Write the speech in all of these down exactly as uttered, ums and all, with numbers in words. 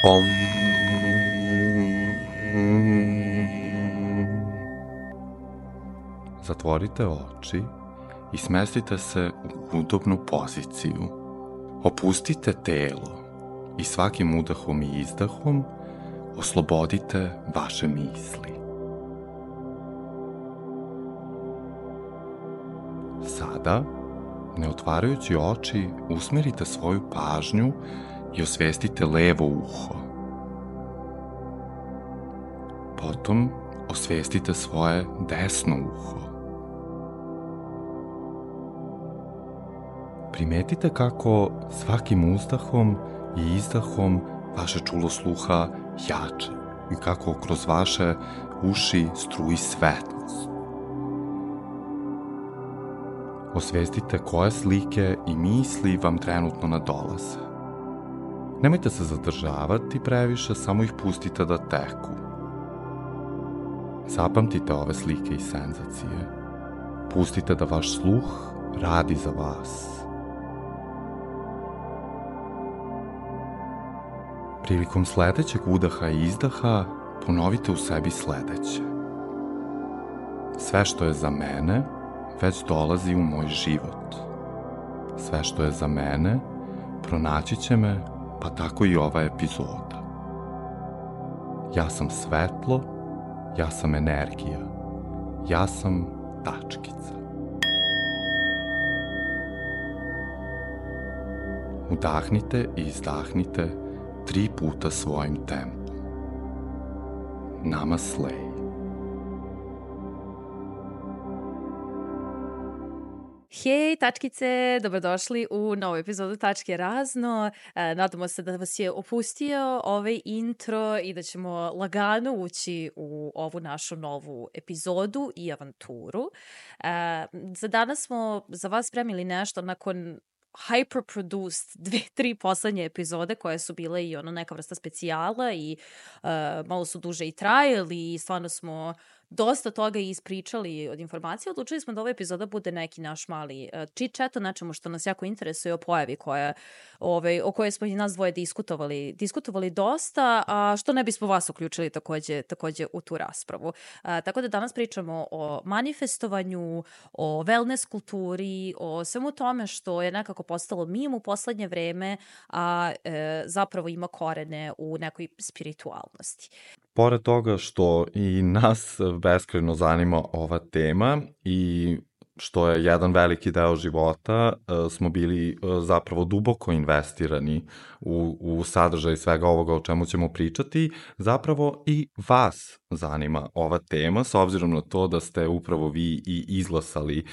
Om. Zatvorite oči i smestite se u udobnu poziciju. Opustite telo i svakim udahom i izdahom oslobodite vaše misli. Sada, ne otvarajući oči, usmerite svoju pažnju i osvestite levo uho. Potom osvestite svoje desno uho. Primetite kako svakim uzdahom i izdahom vaše čulo sluha jače i kako kroz vaše uši struji svetlost. Osvestite koje slike i misli vam trenutno nadolaze. Nemojte se zadržavati previše, samo ih pustite da teku. Zapamtite ove slike i senzacije. Pustite da vaš sluh radi za vas. Prilikom sledećeg udaha i izdaha ponovite u sebi sledeće. Sve što je za mene već dolazi u moj život. Sve što je za mene pronaći će me, pa tako i ova epizoda. Ja sam svetlo, ja sam energija, ja sam tačkica. Udahnite i izdahnite tri puta svojim tempom. Namaste. Hej, tačkice, dobrodošli u novu epizodu Tačke razno. E, nadamo se da vas je opustio ovaj intro i da ćemo lagano ući u ovu našu novu epizodu i avanturu. E, za danas smo za vas spremili nešto nakon hyper-produced dve, tri poslednje epizode koje su bile i ono neka vrsta specijala i uh, malo su duže i trajali i stvarno smo dosta toga ispričali od informacija. Odlučili smo da ova epizoda bude neki naš mali uh, chit-chat o nečemu što nas jako interesuje, o pojavi koja, ovaj, o kojoj smo i nas dvoje diskutovali, diskutovali dosta, a što ne bismo vas uključili takođe, takođe u tu raspravu. Uh, tako da danas pričamo o manifestovanju, o wellness kulturi, o svemu tome što je nekako postalo mim u poslednje vreme, a e, zapravo ima korene u nekoj spiritualnosti. Pored toga što i nas beskrajno zanima ova tema i što je jedan veliki deo života, smo bili zapravo duboko investirani u, u sadržaj svega ovoga o čemu ćemo pričati, zapravo i vas zanima ova tema, s obzirom na to da ste upravo vi i izglasali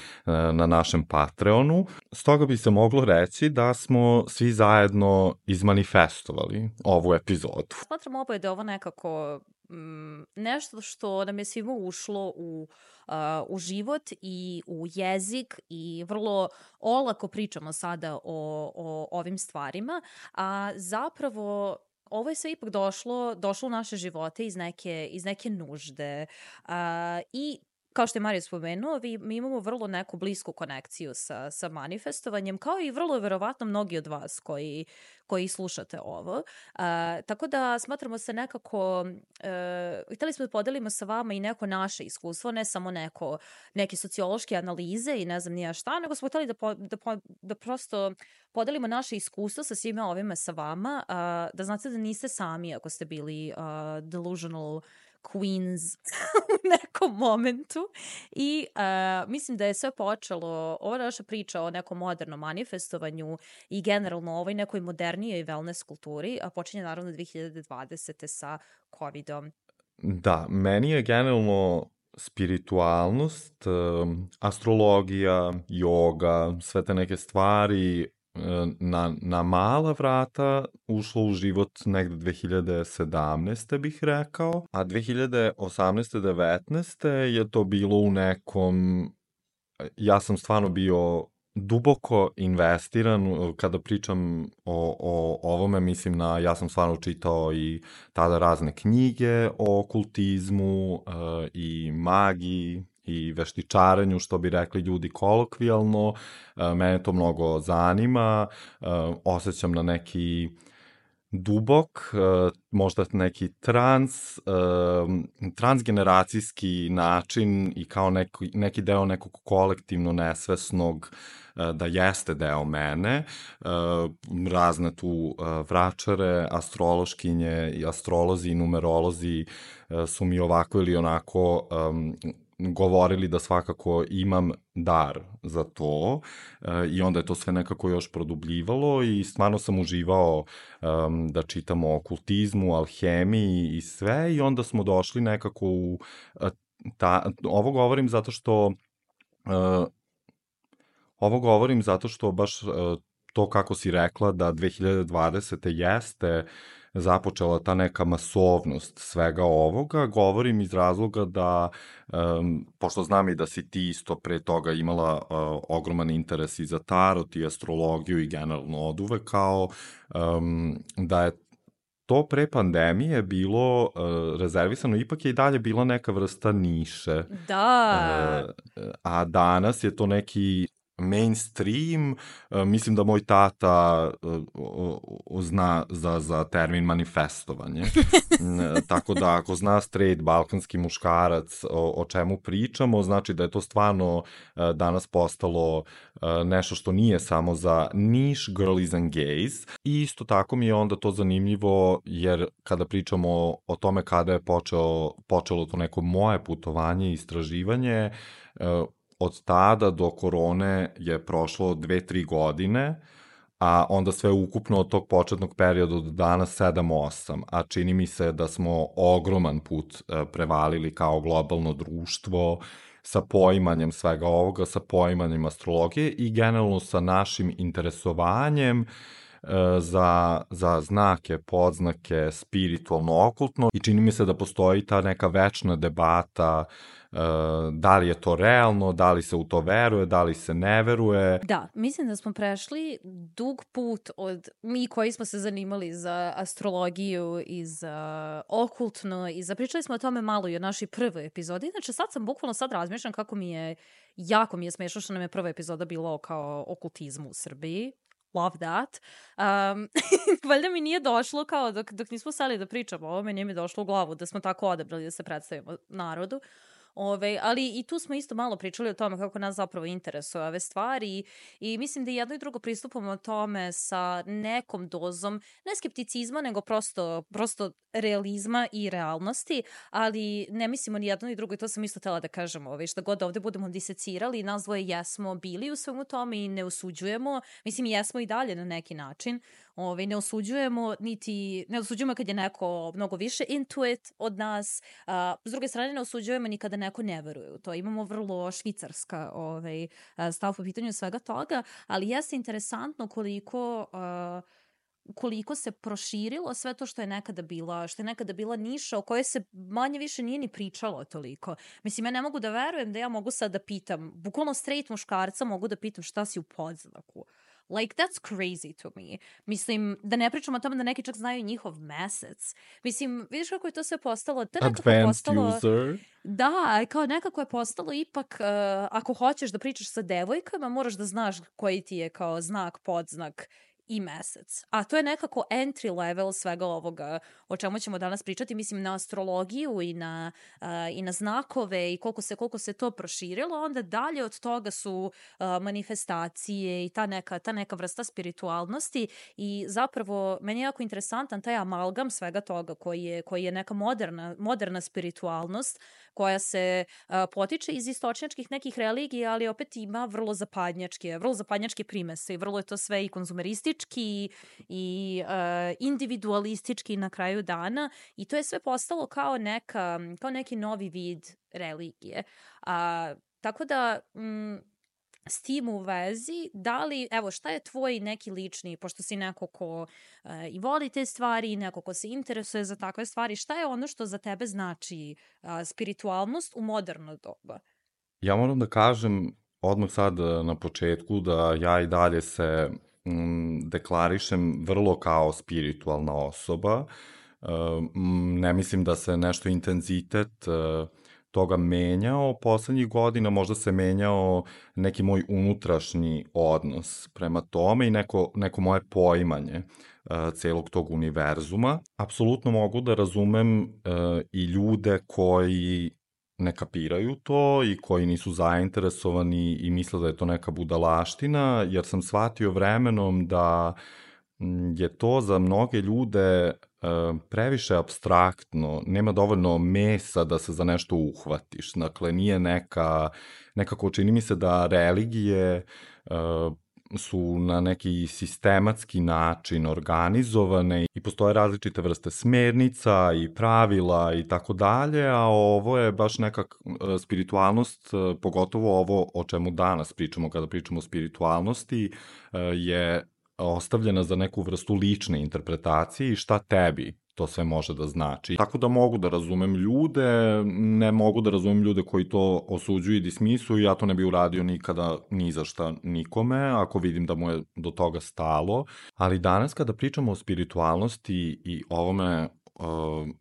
na našem Patreonu. Stoga bi se moglo reći da smo svi zajedno izmanifestovali ovu epizodu. Smatram opet da je ovo nekako mm, nešto što nam je svima ušlo u Uh, u život i u jezik i vrlo olako pričamo sada o, o ovim stvarima, a zapravo ovo je sve ipak došlo, došlo u naše živote iz neke, iz neke nužde uh, i kao što je Mario spomenuo, vi, mi imamo vrlo neku blisku konekciju sa, sa manifestovanjem, kao i vrlo verovatno mnogi od vas koji, koji slušate ovo. Uh, tako da smatramo se nekako, uh, hteli smo da podelimo sa vama i neko naše iskustvo, ne samo neko, neke sociološke analize i ne znam nija šta, nego smo hteli da, po, da, po, da prosto podelimo naše iskustvo sa svime ovime sa vama, uh, da znate da niste sami ako ste bili uh, delusional queens u nekom momentu i uh, mislim da je sve počelo, ova naša priča o nekom modernom manifestovanju i generalno ovoj nekoj modernijoj wellness kulturi, a počinje naravno dve hiljade dvadesete sa covidom. Da, meni je generalno spiritualnost, astrologija, joga, sve te neke stvari na, na mala vrata ušlo u život negde dve hiljade sedamnaeste bih rekao, a dve hiljade osamnaeste devetnaeste je to bilo u nekom, ja sam stvarno bio duboko investiran, kada pričam o, o ovome, mislim na, ja sam stvarno čitao i tada razne knjige o okultizmu uh, i magiji i veštičarenju, što bi rekli ljudi kolokvijalno. Mene to mnogo zanima, osjećam na neki dubok, uh, možda neki trans, uh, transgeneracijski način i kao neki, neki deo nekog kolektivno nesvesnog uh, da jeste deo mene. Uh, razne tu uh, vračare, astrološkinje i astrolozi i numerolozi uh, su mi ovako ili onako um, govorili da svakako imam dar za to e, i onda je to sve nekako još produbljivalo i stvarno sam uživao um, da čitam o okultizmu, alhemiji i sve i onda smo došli nekako u ta, ovo govorim zato što uh, ovo govorim zato što baš uh, to kako si rekla da dve hiljade dvadesete jeste započela ta neka masovnost svega ovoga, govorim iz razloga da, um, pošto znam i da si ti isto pre toga imala uh, ogroman interes i za tarot i astrologiju i generalno od uvek, kao um, da je to pre pandemije bilo uh, rezervisano, ipak je i dalje bila neka vrsta niše. Da. Uh, a danas je to neki mainstream, uh, mislim da moj tata uh, zna za, za termin manifestovanje. Tako da ako zna straight balkanski muškarac o, o čemu pričamo, znači da je to stvarno uh, danas postalo uh, nešto što nije samo za niche girlies and gays. I isto tako mi je onda to zanimljivo, jer kada pričamo o, o tome kada je počeo, počelo to neko moje putovanje i istraživanje, uh, od tada do korone je prošlo dve, tri godine, a onda sve ukupno od tog početnog perioda do danas sedam, osam, a čini mi se da smo ogroman put prevalili kao globalno društvo sa poimanjem svega ovoga, sa poimanjem astrologije i generalno sa našim interesovanjem za, za znake, podznake, spiritualno, okultno i čini mi se da postoji ta neka večna debata uh, da li je to realno, da li se u to veruje, da li se ne veruje. Da, mislim da smo prešli dug put od mi koji smo se zanimali za astrologiju i za okultno i zapričali smo o tome malo i o našoj prvoj epizodi. Znači sad sam bukvalno sad razmišljam kako mi je, jako mi je smešno što nam je prva epizoda bilo kao okultizmu u Srbiji. Love that. Um, valjda mi nije došlo kao dok, dok nismo seli da pričamo o ovome, nije mi došlo u glavu da smo tako odabrali da se predstavimo narodu. Ove, ali i tu smo isto malo pričali o tome kako nas zapravo interesuje ove stvari i, i mislim da jedno i drugo pristupamo o tome sa nekom dozom, ne skepticizma, nego prosto, prosto realizma i realnosti, ali ne mislimo ni jedno ni drugo i to sam isto htela da kažem, ove, šta god ovde budemo disecirali, nas dvoje jesmo bili u svemu tome i ne osuđujemo, mislim jesmo i dalje na neki način, ove, ne osuđujemo niti, ne osuđujemo kad je neko mnogo više into it od nas, a, s druge strane ne osuđujemo ni kada neko ne veruje u to. Imamo vrlo švicarska ovaj, stav po pitanju svega toga, ali jeste interesantno koliko, uh, koliko se proširilo sve to što je nekada bila, što je nekada bila niša o kojoj se manje više nije ni pričalo toliko. Mislim, ja ne mogu da verujem da ja mogu sad da pitam, bukvalno straight muškarca mogu da pitam šta si u podznaku. Like, that's crazy to me. Mislim, da ne pričamo o tome da neki čak znaju njihov mesec. Mislim, vidiš kako je to sve postalo? To je nekako Advanced postalo, user. Da, kao nekako je postalo ipak, uh, ako hoćeš da pričaš sa devojkama, moraš da znaš koji ti je kao znak, podznak i mesec. A to je nekako entry level svega ovoga o čemu ćemo danas pričati, mislim na astrologiju i na, uh, i na znakove i koliko se, koliko se to proširilo, onda dalje od toga su uh, manifestacije i ta neka, ta neka vrsta spiritualnosti i zapravo meni je jako interesantan taj amalgam svega toga koji je, koji je neka moderna, moderna spiritualnost koja se uh, potiče iz istočnjačkih nekih religija, ali opet ima vrlo zapadnjačke, vrlo zapadnjačke primese i vrlo je to sve i konzumeristički i uh, individualistički na kraju dana i to je sve postalo kao, neka, kao neki novi vid religije. Uh, tako da... Mm, s tim u vezi, da li, evo, šta je tvoj neki lični, pošto si neko ko uh, i voli te stvari i neko ko se interesuje za takve stvari, šta je ono što za tebe znači uh, spiritualnost u moderno doba? Ja moram da kažem odmah sad na početku da ja i dalje se mm, deklarišem vrlo kao spiritualna osoba. Uh, ne mislim da se nešto intenzitet uh, toga menjao poslednjih godina, možda se menjao neki moj unutrašnji odnos prema tome i neko, neko moje poimanje uh, celog tog univerzuma. Apsolutno mogu da razumem uh, i ljude koji ne kapiraju to i koji nisu zainteresovani i misle da je to neka budalaština, jer sam shvatio vremenom da je to za mnoge ljude previše abstraktno, nema dovoljno mesa da se za nešto uhvatiš. Dakle, nije neka, nekako čini mi se da religije su na neki sistematski način organizovane i postoje različite vrste smernica i pravila i tako dalje, a ovo je baš neka spiritualnost, pogotovo ovo o čemu danas pričamo kada pričamo o spiritualnosti, je ostavljena za neku vrstu lične interpretacije i šta tebi to sve može da znači. Tako da mogu da razumem ljude, ne mogu da razumem ljude koji to osuđuju i dismisuju, ja to ne bi uradio nikada ni za šta nikome, ako vidim da mu je do toga stalo. Ali danas kada pričamo o spiritualnosti i ovome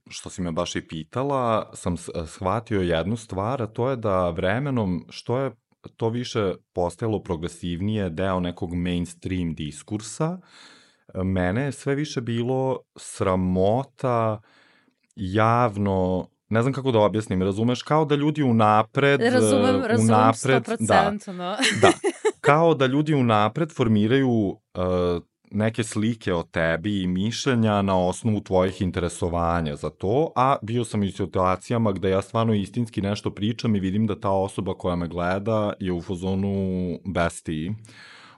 što si me baš i pitala, sam shvatio jednu stvar, a to je da vremenom, što je to više postajalo progresivnije, deo nekog mainstream diskursa, mene je sve više bilo sramota javno, ne znam kako da objasnim, razumeš, kao da ljudi unapred... Razumem, razumem unapred, sto procenta. Da, da, kao da ljudi unapred formiraju uh, neke slike o tebi i mišljenja na osnovu tvojih interesovanja za to, a bio sam i u situacijama gde ja stvarno istinski nešto pričam i vidim da ta osoba koja me gleda je u fazonu bestii.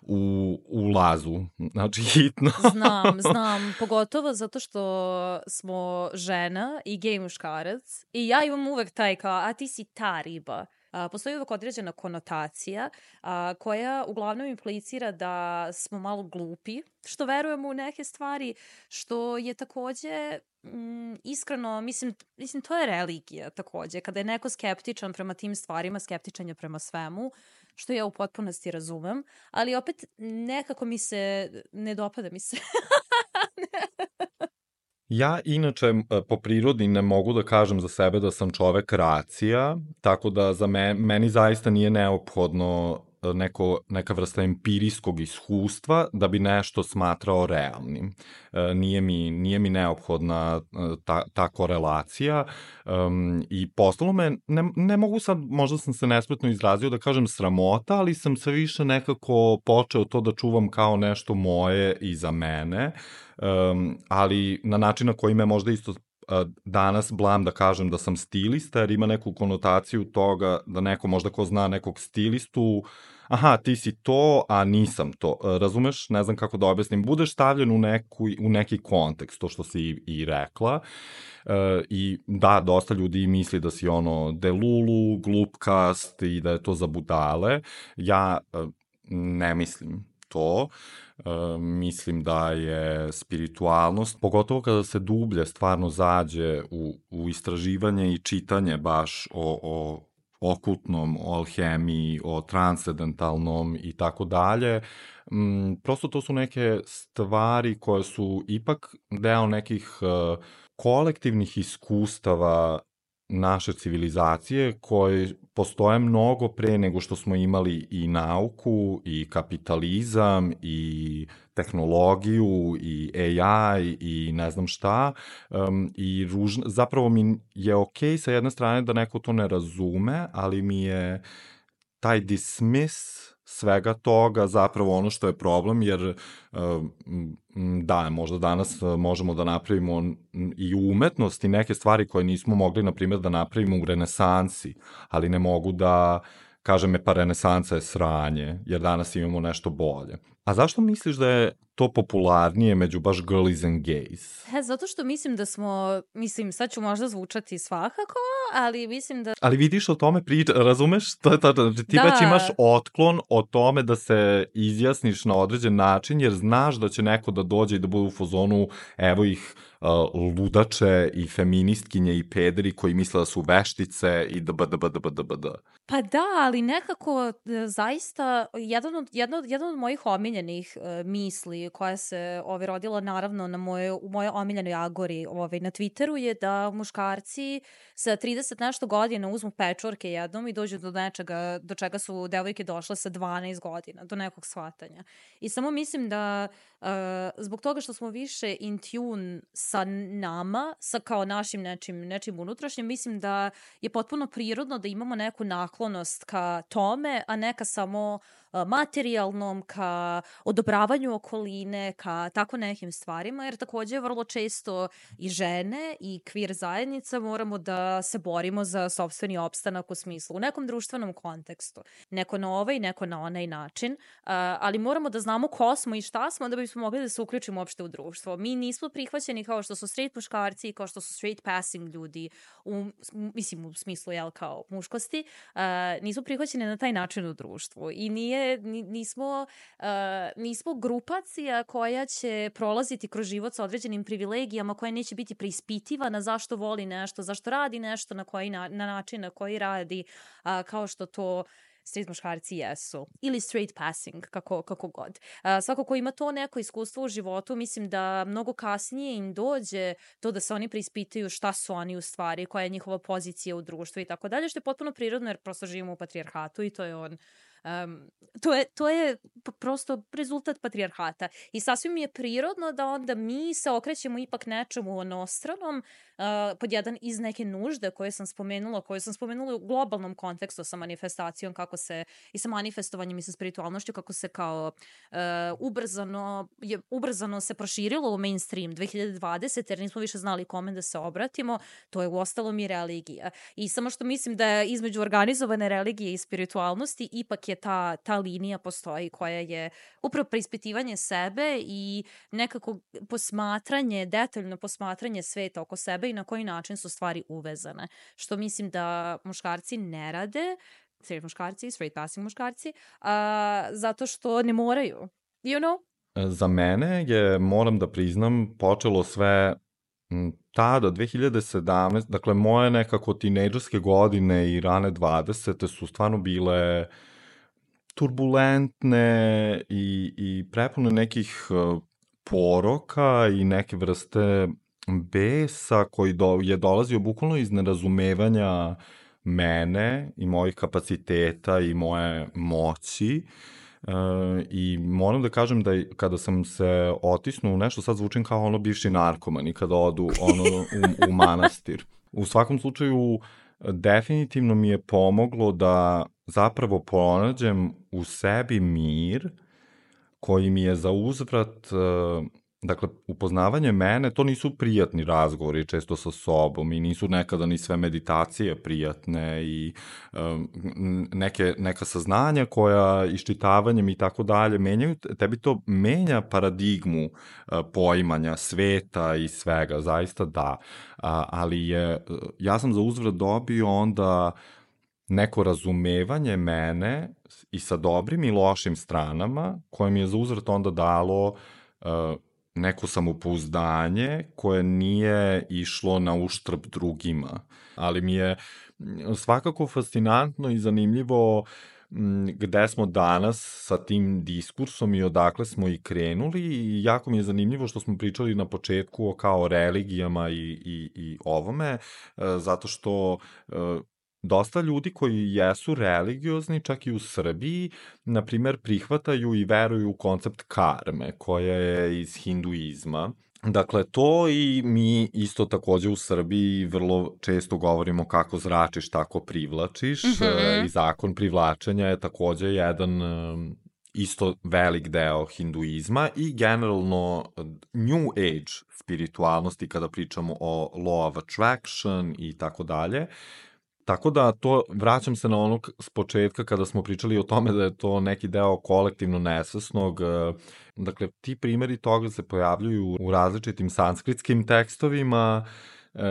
U, u lazu, znači hitno. Znam, znam, pogotovo zato što smo žena i gej muškarac i ja imam uvek taj kao, a ti si ta riba. A, postoji uvek određena konotacija a, koja uglavnom implicira da smo malo glupi, što verujemo u neke stvari, što je takođe mm, iskreno, mislim, mislim, to je religija takođe. Kada je neko skeptičan prema tim stvarima, skeptičan je prema svemu, što ja u potpunosti razumem, ali opet nekako mi se, ne dopada mi se. Ja inače po prirodi ne mogu da kažem za sebe da sam čovek racija, tako da za me, meni zaista nije neophodno neko, neka vrsta empirijskog iskustva da bi nešto smatrao realnim. Nije mi, nije mi neophodna ta, ta korelacija um, i postalo me, ne, ne mogu sad, možda sam se nespretno izrazio da kažem sramota, ali sam sve više nekako počeo to da čuvam kao nešto moje i za mene, um, ali na način na koji me možda isto danas blam da kažem da sam stilista, jer ima neku konotaciju toga da neko možda ko zna nekog stilistu, aha, ti si to, a nisam to. Razumeš? Ne znam kako da objasnim. Budeš stavljen u, neku, u neki kontekst, to što si i, i rekla. E, I da, dosta ljudi misli da si ono delulu, glupkast i da je to za budale. Ja ne mislim to. Uh, mislim da je spiritualnost, pogotovo kada se dublje stvarno zađe u, u istraživanje i čitanje baš o, o okultnom, o alhemiji, o transcendentalnom i tako dalje, prosto to su neke stvari koje su ipak deo nekih uh, kolektivnih iskustava naše civilizacije koje postoje mnogo pre nego što smo imali i nauku i kapitalizam i tehnologiju i A I i ne znam šta um, i ružno, zapravo mi je okej sa jedne strane da neko to ne razume, ali mi je taj dismiss svega toga zapravo ono što je problem, jer da, možda danas možemo da napravimo i u umetnosti neke stvari koje nismo mogli, na primjer, da napravimo u renesansi, ali ne mogu da kažem, pa renesansa je sranje, jer danas imamo nešto bolje. A zašto misliš da je to popularnije među baš girlies and gays? He, zato što mislim da smo, mislim, sad ću možda zvučati svakako, ali mislim da... Ali vidiš o tome priča, razumeš? To je to, znači, ti da. Već imaš otklon o tome da se izjasniš na određen način, jer znaš da će neko da dođe i da bude u fazonu, evo ih, uh, ludače i feministkinje i pederi koji misle da su veštice i da bd, bd, bd, bd. Pa da, ali nekako zaista jedan od, jedan od, jedan od mojih omiljenih omiljenih uh, misli koja se ovaj, rodila naravno na moje, u mojoj omiljenoj agori ovaj, na Twitteru je da muškarci sa trideset nešto godina uzmu pečurke jednom i dođu do nečega, do čega su devojke došle sa dvanaest godina, do nekog shvatanja. I samo mislim da uh, zbog toga što smo više in tune sa nama, sa kao našim nečim, nečim unutrašnjim, mislim da je potpuno prirodno da imamo neku naklonost ka tome, a neka samo materijalnom, ka odobravanju okoline, ka tako nekim stvarima, jer takođe vrlo često i žene i queer zajednica moramo da se borimo za sopstveni opstanak u smislu, u nekom društvenom kontekstu. Neko na ovaj, neko na onaj način, ali moramo da znamo ko smo i šta smo da bismo mogli da se uključimo uopšte u društvo. Mi nismo prihvaćeni kao što su straight muškarci, kao što su straight passing ljudi, u, mislim u smislu jel, kao muškosti, nismo prihvaćeni na taj način u društvu i nije nismo, uh, nismo grupacija koja će prolaziti kroz život sa određenim privilegijama, koja neće biti preispitivana zašto voli nešto, zašto radi nešto, na koji na, na način na koji radi, uh, kao što to straight muškarci jesu. Ili straight passing, kako, kako god. Uh, svako ko ima to neko iskustvo u životu, mislim da mnogo kasnije im dođe to da se oni preispitaju šta su oni u stvari, koja je njihova pozicija u društvu i tako dalje, što je potpuno prirodno jer prosto živimo u patrijarhatu i to je on Um, to je, to je prosto rezultat patrijarhata i sasvim mi je prirodno da onda mi se okrećemo ipak nečemu onostranom uh, pod jedan iz neke nužde koje sam spomenula, koje sam spomenula u globalnom kontekstu sa manifestacijom kako se i sa manifestovanjem i sa spiritualnošću kako se kao uh, ubrzano, je, ubrzano se proširilo u mainstream dve hiljade dvadesete jer nismo više znali kome da se obratimo, to je uostalom i religija i samo što mislim da je između organizovane religije i spiritualnosti ipak je ta, ta linija postoji koja je upravo preispitivanje sebe i nekako posmatranje, detaljno posmatranje sveta oko sebe i na koji način su stvari uvezane. Što mislim da muškarci ne rade, straight muškarci, straight passing muškarci, a, zato što ne moraju. You know? Za mene je, moram da priznam, počelo sve tada, dve hiljade sedamnaeste. Dakle, moje nekako tinejdžerske godine i rane dvadesete su stvarno bile turbulentne i, i prepune nekih poroka i neke vrste besa koji do, je dolazio bukvalno iz nerazumevanja mene i mojih kapaciteta i moje moći. Uh, i moram da kažem da kada sam se otisnuo u nešto, sad zvučim kao ono bivši narkoman i kada odu ono u, u manastir. U svakom slučaju, definitivno mi je pomoglo da zapravo pronađem u sebi mir koji mi je za uzvrat, dakle, upoznavanje mene, to nisu prijatni razgovori često sa sobom i nisu nekada ni sve meditacije prijatne i um, neke, neka saznanja koja iščitavanjem i tako dalje menjaju, tebi to menja paradigmu uh, poimanja sveta i svega, zaista da, uh, ali je, ja sam za uzvrat dobio onda neko razumevanje mene i sa dobrim i lošim stranama, koje mi je za uzvrat onda dalo uh, neko samopouzdanje koje nije išlo na uštrb drugima. Ali mi je svakako fascinantno i zanimljivo gde smo danas sa tim diskursom i odakle smo i krenuli i jako mi je zanimljivo što smo pričali na početku o kao religijama i, i, i ovome, zato što dosta ljudi koji jesu religiozni, čak i u Srbiji, na primer, prihvataju i veruju u koncept karme, koja je iz hinduizma. Dakle, to i mi isto takođe u Srbiji vrlo često govorimo kako zračiš, tako privlačiš. Mm-hmm. I zakon privlačenja je takođe jedan isto velik deo hinduizma i generalno New Age spiritualnosti kada pričamo o law of attraction i tako dalje. Tako da to, vraćam se na ono s početka kada smo pričali o tome da je to neki deo kolektivno nesvesnog, dakle ti primjeri toga se pojavljuju u različitim sanskritskim tekstovima e,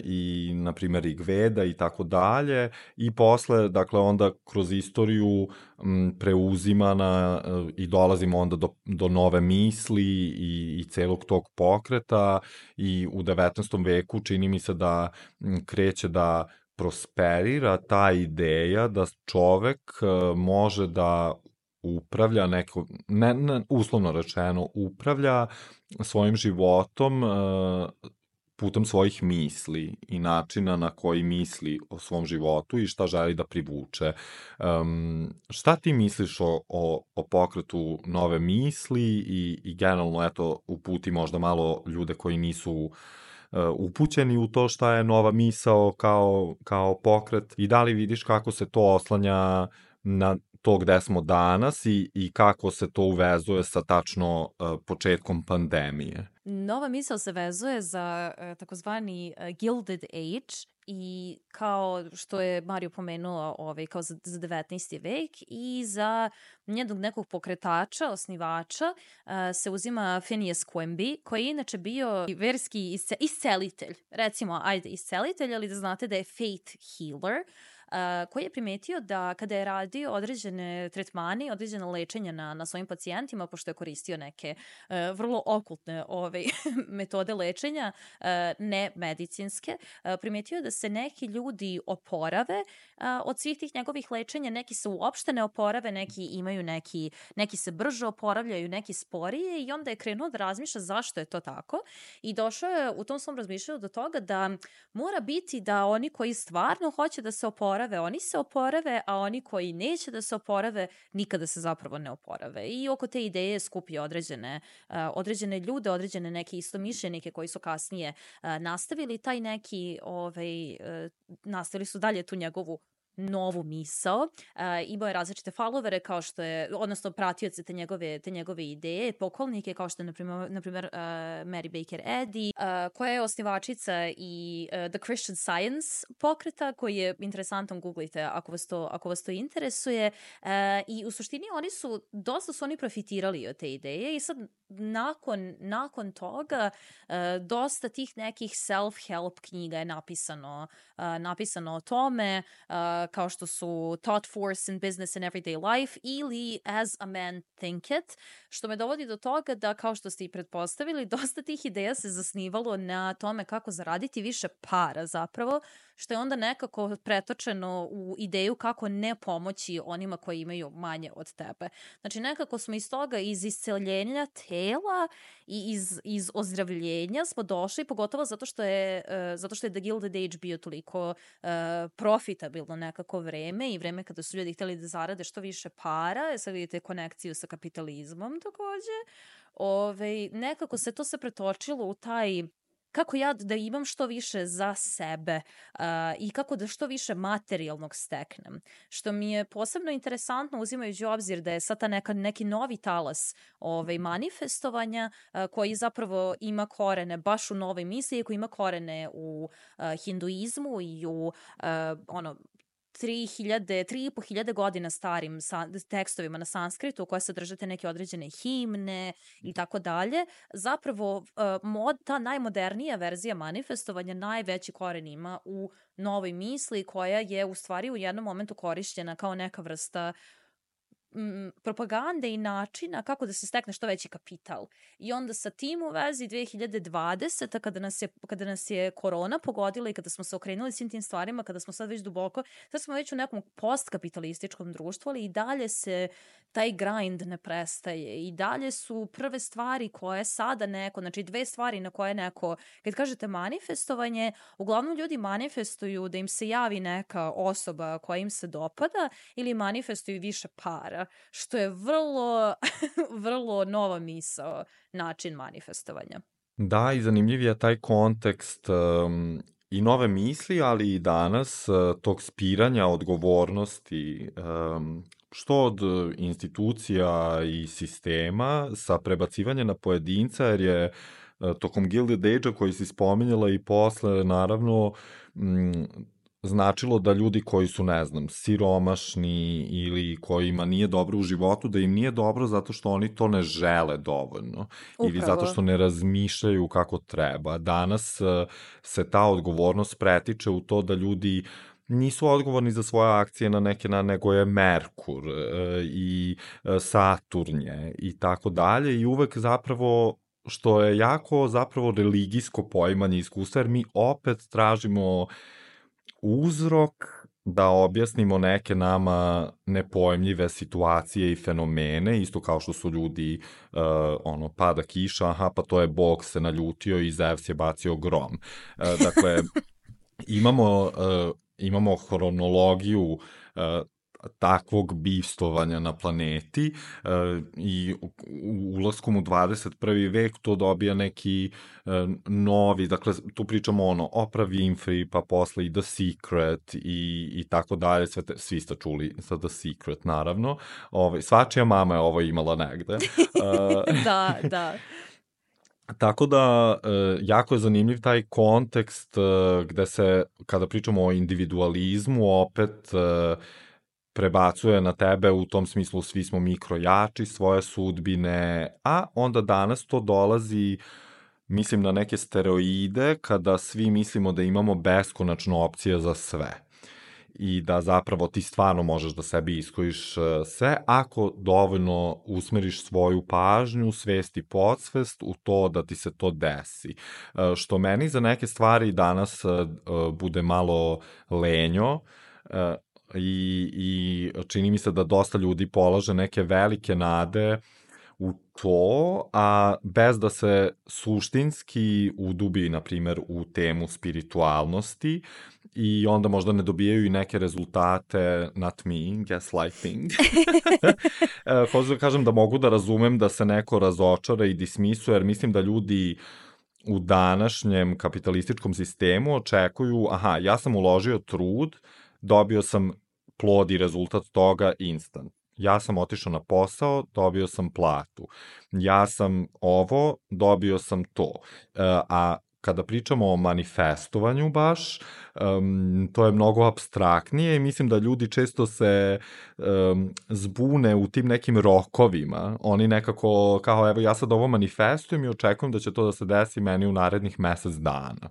i na primjer Rigveda i tako dalje i posle, dakle onda kroz istoriju m, preuzimana e, i dolazimo onda do, do nove misli i, i celog tog pokreta i u devetnaestom veku čini mi se da m, kreće da prosperira ta ideja da čovek može da upravlja neko, ne, ne, uslovno rečeno, upravlja svojim životom uh, putem svojih misli i načina na koji misli o svom životu i šta želi da privuče. Um, šta ti misliš o, o, o pokretu nove misli i, i generalno, eto, uputi možda malo ljude koji nisu uh, upućeni u to šta je nova misao kao, kao pokret i da li vidiš kako se to oslanja na to gde smo danas i, i kako se to uvezuje sa tačno uh, početkom pandemije? Nova misao se vezuje za uh, takozvani uh, Gilded Age i kao što je Mario pomenuo ovaj, kao za, za devetnaesti vek i za njednog nekog pokretača, osnivača uh, se uzima Phineas Quimby, koji je inače bio verski isce, iscelitelj, recimo ajde iscelitelj, ali da znate da je faith healer, Uh, koji je primetio da kada je radio određene tretmane, određene lečenja na, na svojim pacijentima, pošto je koristio neke uh, vrlo okultne ove, metode lečenja, uh, ne medicinske, uh, primetio da se neki ljudi oporave uh, od svih tih njegovih lečenja, neki se uopšte ne oporave, neki imaju neki, neki se brže oporavljaju, neki sporije i onda je krenuo da razmišlja zašto je to tako i došao je u tom svom razmišljanju do toga da mora biti da oni koji stvarno hoće da se oporave oni se oporave, a oni koji neće da se oporave, nikada se zapravo ne oporave. I oko te ideje skupi određene, uh, određene ljude, određene neke istomišljenike koji su kasnije uh, nastavili taj neki, ovaj, uh, nastavili su dalje tu njegovu novu misao. Uh, imao je različite followere kao što je, odnosno pratioce te njegove, te njegove ideje, pokolnike kao što je, na primjer, na primjer uh, Mary Baker Eddy, uh, koja je osnivačica i uh, The Christian Science pokreta, koji je interesantan, googlite ako vas to, ako vas to interesuje. Uh, I u suštini oni su, dosta su oni profitirali od te ideje i sad nakon, nakon toga uh, dosta tih nekih self-help knjiga je napisano, uh, napisano o tome, uh, kao što su Thought Force in Business and Everyday Life ili As a Man Thinketh, što me dovodi do toga da, kao što ste i pretpostavili, dosta tih ideja se zasnivalo na tome kako zaraditi više para zapravo, što je onda nekako pretočeno u ideju kako ne pomoći onima koji imaju manje od tebe. Znači nekako smo iz toga, iz isceljenja tela i iz, iz ozdravljenja smo došli, pogotovo zato što je, uh, zato što je The Gilded Age bio toliko uh, profitabilno nekako vreme i vreme kada su ljudi htjeli da zarade što više para, sad vidite konekciju sa kapitalizmom takođe. Ove, nekako se to se pretočilo u taj kako ja da imam što više za sebe uh, i kako da što više materijalnog steknem. Što mi je posebno interesantno uzimajući u obzir da je sad ta neka, neki novi talas ovaj, manifestovanja uh, koji zapravo ima korene baš u novoj misli, koji ima korene u uh, hinduizmu i u uh, ono, tri hiljade, tri i po hiljade godina starim sa, tekstovima na sanskritu koje sadržate neke određene himne i tako dalje. Zapravo uh, mod, ta najmodernija verzija manifestovanja najveći koren ima u novoj misli koja je u stvari u jednom momentu korišćena kao neka vrsta m, propagande i načina kako da se stekne što veći kapital. I onda sa tim u vezi dve hiljade dvadesete kada nas je, kada nas je korona pogodila i kada smo se okrenuli svim tim stvarima, kada smo sad već duboko, sad smo već u nekom postkapitalističkom društvu, ali i dalje se taj grind ne prestaje. I dalje su prve stvari koje sada neko, znači dve stvari na koje neko, kad kažete manifestovanje, uglavnom ljudi manifestuju da im se javi neka osoba koja im se dopada ili manifestuju više para, što je vrlo, vrlo nova misao, način manifestovanja. Da, i zanimljiv je taj kontekst um, i nove misli, ali i danas uh, tog spiranja odgovornosti, um, što od institucija i sistema sa prebacivanja na pojedinca, jer je uh, tokom Gilded Age-a koji si spominjala i posle, naravno, mm, značilo da ljudi koji su, ne znam, siromašni ili kojima nije dobro u životu, da im nije dobro zato što oni to ne žele dovoljno. Upravo. Ili zato što ne razmišljaju kako treba. Danas se ta odgovornost pretiče u to da ljudi nisu odgovorni za svoje akcije na neke na nego je Merkur e, i Saturnje i tako dalje i uvek zapravo što je jako zapravo religijsko poimanje iskustva, jer mi opet tražimo uzrok da objasnimo neke nama nepojmljive situacije i fenomene, isto kao što su ljudi, uh, ono, pada kiša, aha, pa to je Bog se naljutio i Zevs je bacio grom. Uh, dakle, imamo, uh, imamo hronologiju uh, takvog bivstvovanja na planeti uh, i u, u ulaskom u dvadeset prvi vek to dobija neki uh, novi, dakle tu pričamo ono Oprah Winfrey, pa posle i The Secret i, i tako dalje, sve te, svi ste čuli sa The Secret naravno, ovaj, svačija mama je ovo imala negde. Uh, da, da. Tako da, e, jako je zanimljiv taj kontekst e, gde se, kada pričamo o individualizmu, opet e, prebacuje na tebe u tom smislu svi smo mikrojači, svoje sudbine, a onda danas to dolazi, mislim, na neke steroide kada svi mislimo da imamo beskonačno opcije za sve i da zapravo ti stvarno možeš da sebi iskojiš sve ako dovoljno usmeriš svoju pažnju, svest i podsvest u to da ti se to desi. Što meni za neke stvari danas bude malo lenjo i, i čini mi se da dosta ljudi polaže neke velike nade u to, a bez da se suštinski udubi, na primer, u temu spiritualnosti i onda možda ne dobijaju i neke rezultate, not me, gaslighting. Hoću da kažem da mogu da razumem da se neko razočara i dismisuje, jer mislim da ljudi u današnjem kapitalističkom sistemu očekuju, aha, ja sam uložio trud, dobio sam plod i rezultat toga instant. Ja sam otišao na posao, dobio sam platu. Ja sam ovo, dobio sam to. A kada pričamo o manifestovanju baš, um, to je mnogo apstraktnije i mislim da ljudi često se um, zbune u tim nekim rokovima. Oni nekako kao, evo ja sad ovo manifestujem i očekujem da će to da se desi meni u narednih mesec dana.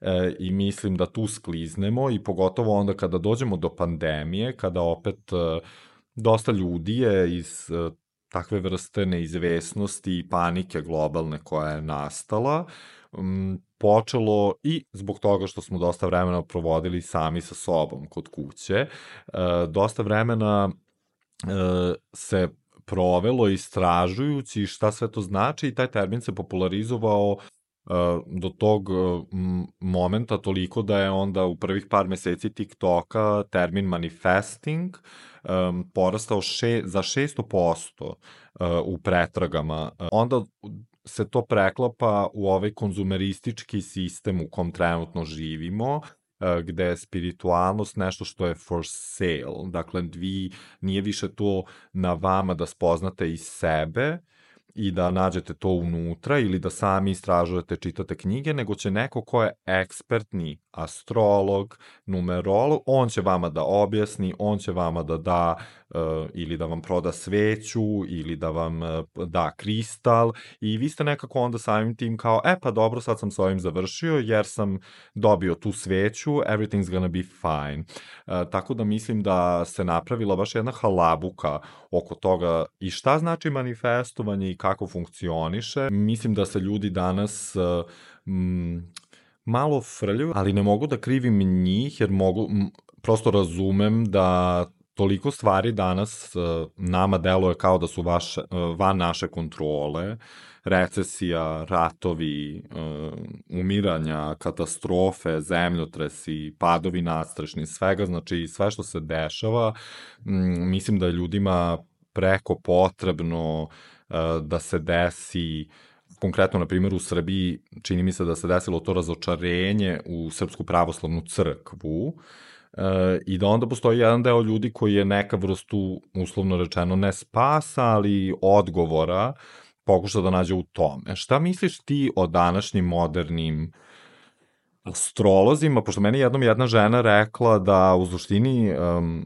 E, i mislim da tu skliznemo i pogotovo onda kada dođemo do pandemije, kada opet uh, dosta ljudi je iz uh, takve vrste neizvesnosti i panike globalne koja je nastala, um, počelo i zbog toga što smo dosta vremena provodili sami sa sobom kod kuće, uh, dosta vremena uh, se provelo istražujući šta sve to znači i taj termin se popularizovao do tog momenta toliko da je onda u prvih par meseci TikToka termin manifesting um, porastao še, za šesto posto uh, u pretragama. Onda se to preklapa u ovaj konzumeristički sistem u kom trenutno živimo, uh, gde je spiritualnost nešto što je for sale. Dakle, vi, nije više to na vama da spoznate iz sebe, i da nađete to unutra ili da sami istražujete, čitate knjige, nego će neko ko je ekspertni astrolog, numerolog, on će vama da objasni, on će vama da da uh, ili da vam proda sveću ili da vam uh, da kristal i vi ste nekako onda samim tim kao, e pa dobro, sad sam s ovim završio jer sam dobio tu sveću, everything's gonna be fine. Uh, tako da mislim da se napravila baš jedna halabuka oko toga i šta znači manifestovanje i kako funkcioniše. Mislim da se ljudi danas uh, m, malo frljaju, ali ne mogu da krivim njih, jer mogu, m, prosto razumem da toliko stvari danas uh, nama deluje kao da su vaše, uh, van naše kontrole, recesija, ratovi, uh, umiranja, katastrofe, zemljotresi, padovi nadstrešni, svega, znači sve što se dešava, m, mislim da je ljudima preko potrebno uh, da se desi, konkretno, na primjer, u Srbiji, čini mi se da se desilo to razočarenje u Srpsku pravoslavnu crkvu, e, i da onda postoji jedan deo ljudi koji je neka vrstu, uslovno rečeno, ne spasa, ali odgovora, pokuša da nađe u tome. Šta misliš ti o današnjim modernim astrolozima, pošto meni jednom jedna žena rekla da u suštini um,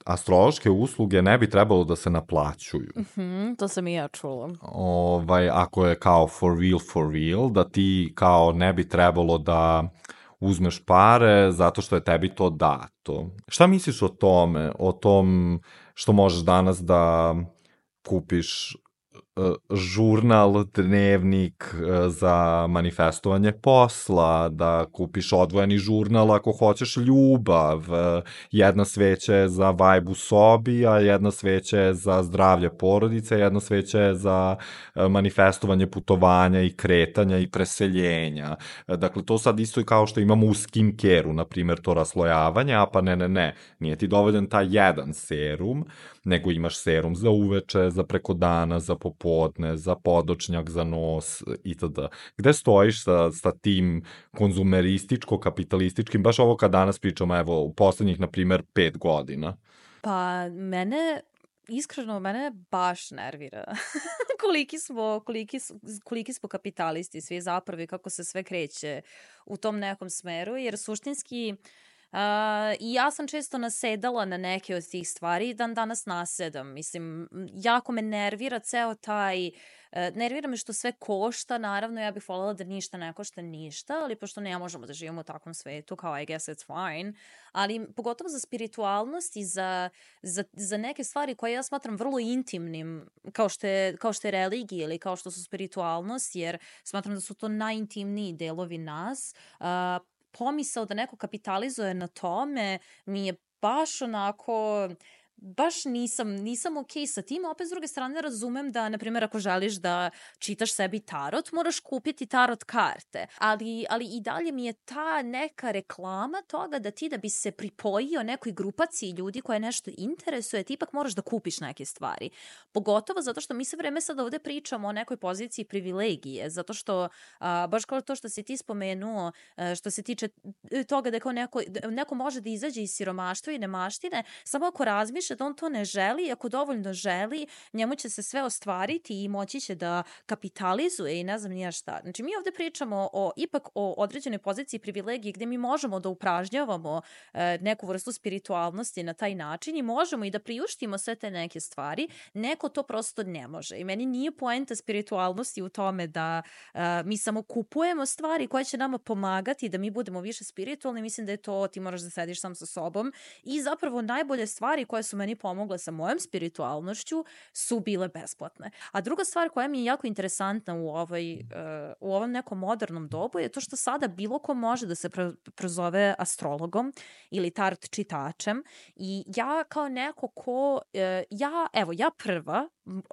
astrološke usluge ne bi trebalo da se naplaćuju. Mm-hmm, to sam i ja čula. Ovaj, ako je kao for real, for real, da ti kao ne bi trebalo da uzmeš pare zato što je tebi to dato. Šta misliš o tome, o tom što možeš danas da kupiš žurnal, dnevnik za manifestovanje posla, da kupiš odvojeni žurnal ako hoćeš ljubav, jedna sveća je za vibe u sobi, a jedna sveća je za zdravlje porodice, jedna sveća je za manifestovanje putovanja i kretanja i preseljenja. Dakle, to sad isto i kao što imamo u skincare-u, na primjer, to raslojavanje, a pa ne, ne, ne, nije ti dovoljan taj jedan serum, nego imaš serum za uveče, za preko dana, za popodne, za podočnjak, za nos itd. Gde stojiš sa, sa tim konzumerističko-kapitalističkim, baš ovo kad danas pričamo, evo, u poslednjih, na primer, pet godina? Pa, mene, iskreno, mene baš nervira koliki smo, koliki, koliki smo kapitalisti svi zapravo i kako se sve kreće u tom nekom smeru, jer suštinski Uh, i ja sam često nasedala na neke od tih stvari i dan danas nasedam. Mislim, jako me nervira ceo taj, uh, nervira me što sve košta, naravno ja bih voljela da ništa ne košta ništa, ali pošto ne možemo da živimo u takvom svetu, kao I guess it's fine, ali pogotovo za spiritualnost i za, za, za neke stvari koje ja smatram vrlo intimnim, kao što je, kao što je religija ili kao što su spiritualnost, jer smatram da su to najintimniji delovi nas. Uh, pomisao da neko kapitalizuje na tome mi je baš onako, baš nisam, nisam okej sa tim, a opet s druge strane razumem da, na primjer, ako želiš da čitaš sebi tarot, moraš kupiti tarot karte, ali, ali i dalje mi je ta neka reklama toga da ti da bi se pripojio nekoj grupaciji ljudi koje nešto interesuje, ti ipak moraš da kupiš neke stvari. Pogotovo zato što mi se vreme sad ovde pričamo o nekoj poziciji privilegije, zato što a, baš kao to što si ti spomenuo, a, što se tiče toga da kao neko, neko može da izađe iz siromaštva i nemaštine, samo ako razmišlja da on to ne želi, ako dovoljno želi, njemu će se sve ostvariti i moći će da kapitalizuje i ne znam nija šta. Znači, mi ovde pričamo o, ipak o određenoj poziciji privilegije gde mi možemo da upražnjavamo e, neku vrstu spiritualnosti na taj način i možemo i da priuštimo sve te neke stvari. Neko to prosto ne može. I meni nije poenta spiritualnosti u tome da e, mi samo kupujemo stvari koje će nama pomagati da mi budemo više spiritualni. Mislim da je to, ti moraš da sediš sam sa sobom i zapravo najbolje stvari koje su meni pomogle sa mojom spiritualnošću su bile besplatne. A druga stvar koja mi je jako interesantna u, ovoj, uh, u ovom nekom modernom dobu je to što sada bilo ko može da se pro, prozove astrologom ili tarot čitačem i ja kao neko ko, uh, ja, evo, ja prva,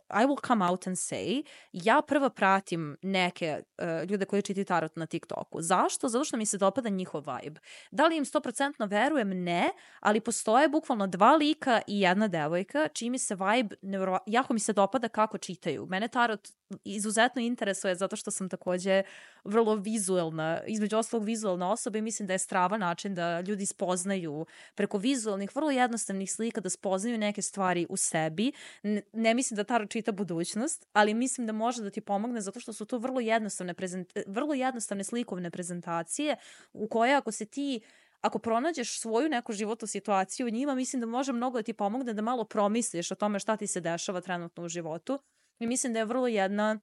I will come out and say, ja prva pratim neke uh, ljude koji čitaju tarot na TikToku. Zašto? Zato što mi se dopada njihov vibe. Da li im sto posto verujem? Ne, ali postoje bukvalno dva lika i jedna devojka, čiji mi se vibe, nevro... jako mi se dopada kako čitaju. Mene tarot izuzetno interesuje zato što sam takođe vrlo vizuelna, između ostalog vizuelna osoba i mislim da je strava način da ljudi spoznaju preko vizuelnih, vrlo jednostavnih slika, da spoznaju neke stvari u sebi. Ne, ne mislim da tarot čita budućnost, ali mislim da može da ti pomogne zato što su to vrlo jednostavne, prezent... vrlo jednostavne slikovne prezentacije u koje ako se ti ako pronađeš svoju neku životnu situaciju u njima, mislim da može mnogo da ti pomogne da malo promisliš o tome šta ti se dešava trenutno u životu. I mislim da je vrlo jedna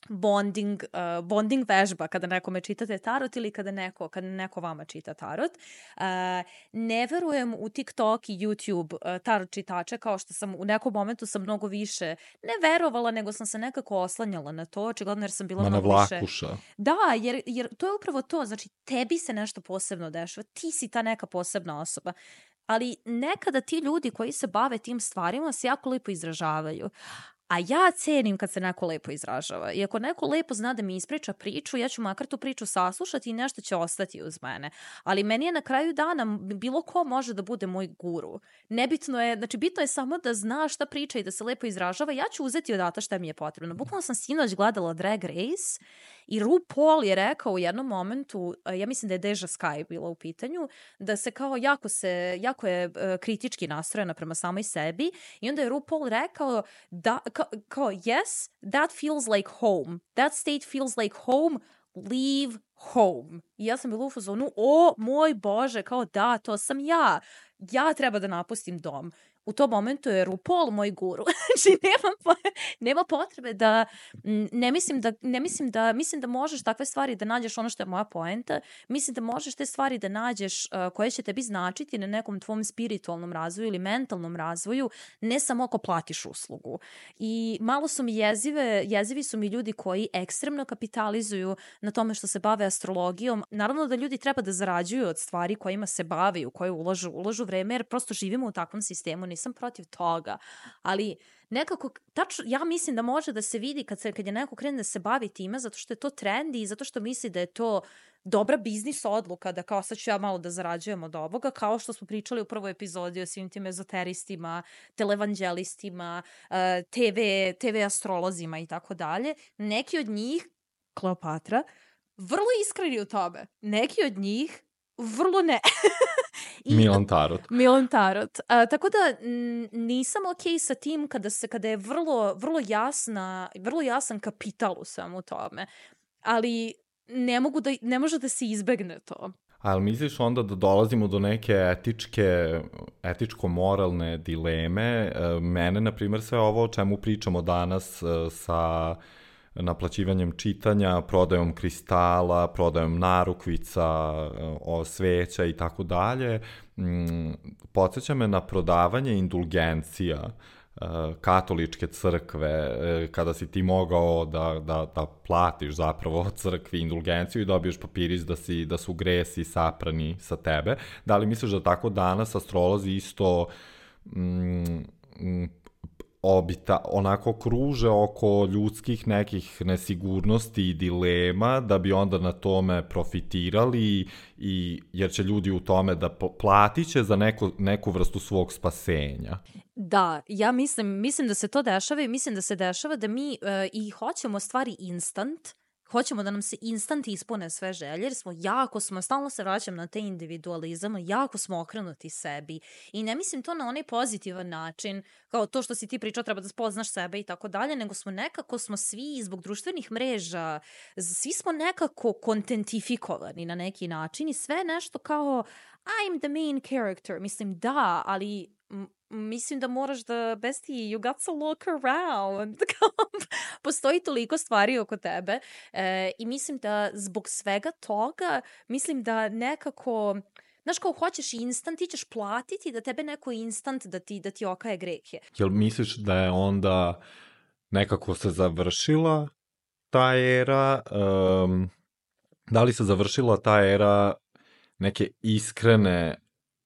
bonding, uh, bonding vežba kada nekome čitate tarot ili kada neko, kada neko vama čita tarot. Uh, ne verujem u TikTok i YouTube uh, tarot čitače, kao što sam u nekom momentu sam mnogo više ne verovala, nego sam se nekako oslanjala na to, očigledno jer sam bila Ma mnogo vlakuša. više. Da, jer, jer to je upravo to, znači tebi se nešto posebno dešava, ti si ta neka posebna osoba. Ali nekada ti ljudi koji se bave tim stvarima se jako lepo izražavaju. A ja cenim kad se neko lepo izražava. I ako neko lepo zna da mi ispriča priču, ja ću makar tu priču saslušati i nešto će ostati uz mene. Ali meni je na kraju dana, bilo ko može da bude moj guru. Nebitno je, znači bitno je samo da zna šta priča i da se lepo izražava. Ja ću uzeti odata šta mi je potrebno. Bukvalno sam sinoć gledala Drag Race i RuPaul je rekao u jednom momentu, ja mislim da je Deja Sky bila u pitanju, da se kao jako se, jako je uh, kritički nastrojena prema samoj sebi i onda je RuPaul rekao da Kao, kao, yes, that feels like home. That state feels like home. Leave home. I ja sam bila u fazonu, o moj Bože, kao da, to sam ja. Ja treba da napustim dom. u tom momentu je RuPaul moj guru. Znači, nema, po- nema potrebe da, m, ne mislim da, ne mislim da, mislim da možeš takve stvari da nađeš, ono što je moja poenta, mislim da možeš te stvari da nađeš uh, koje će tebi značiti na nekom tvom spiritualnom razvoju ili mentalnom razvoju, ne samo ako platiš uslugu. I malo su mi jezive, jezivi su mi ljudi koji ekstremno kapitalizuju na tome što se bave astrologijom. Naravno da ljudi treba da zarađuju od stvari kojima se bave i u koje ulažu, ulažu vreme, jer prosto živimo u takvom sistemu, nisam protiv toga, ali nekako, tačno, ja mislim da može da se vidi kad, se, kad je neko krene da se bavi time, zato što je to trendi i zato što misli da je to dobra biznis odluka, da kao sad ću ja malo da zarađujem od ovoga, kao što smo pričali u prvoj epizodi o svim tim ezoteristima, televanđelistima, te ve, te ve astrolozima i tako dalje. Neki od njih, Kleopatra, vrlo iskreni u tome. Neki od njih vrlo ne. I, Milan Tarot. Milan Tarot. A, tako da n- nisam okej sa tim kada se kada je vrlo vrlo jasna, vrlo jasan kapital u svemu tome. Ali ne mogu da ne može da se izbegne to. Ali misliš onda da dolazimo do neke etičke, etičko-moralne dileme? Mene, na primjer, sve ovo o čemu pričamo danas sa naplaćivanjem čitanja, prodajom kristala, prodajom narukvica, o sveća i tako dalje, podsjeća me na prodavanje indulgencija katoličke crkve, kada si ti mogao da, da, da platiš zapravo crkvi indulgenciju i dobiješ papirić da, si, da su gresi saprani sa tebe. Da li misliš da tako danas astrolozi isto mm, obita, onako kruže oko ljudskih nekih nesigurnosti i dilema, da bi onda na tome profitirali, i, jer će ljudi u tome da platit će za neko, neku vrstu svog spasenja? Da, ja mislim, mislim da se to dešava i mislim da se dešava da mi uh, i hoćemo stvari instant, hoćemo da nam se instant ispune sve želje, jer smo jako smo, stalno se vraćam na te individualizam, jako smo okrenuti sebi. I ne mislim to na onaj pozitivan način, kao to što si ti pričao, treba da spoznaš sebe i tako dalje, nego smo nekako, smo svi zbog društvenih mreža, svi smo nekako kontentifikovani na neki način i sve nešto kao I'm the main character. Mislim, da, ali m- mislim da moraš da, besti, you got to look around. Postoji toliko stvari oko tebe e, i mislim da zbog svega toga, mislim da nekako, znaš, kao hoćeš instant, ti ćeš platiti da tebe neko instant da ti, da ti okaje grehe. Jel misliš da je onda nekako se završila ta era, um, da li se završila ta era neke iskrene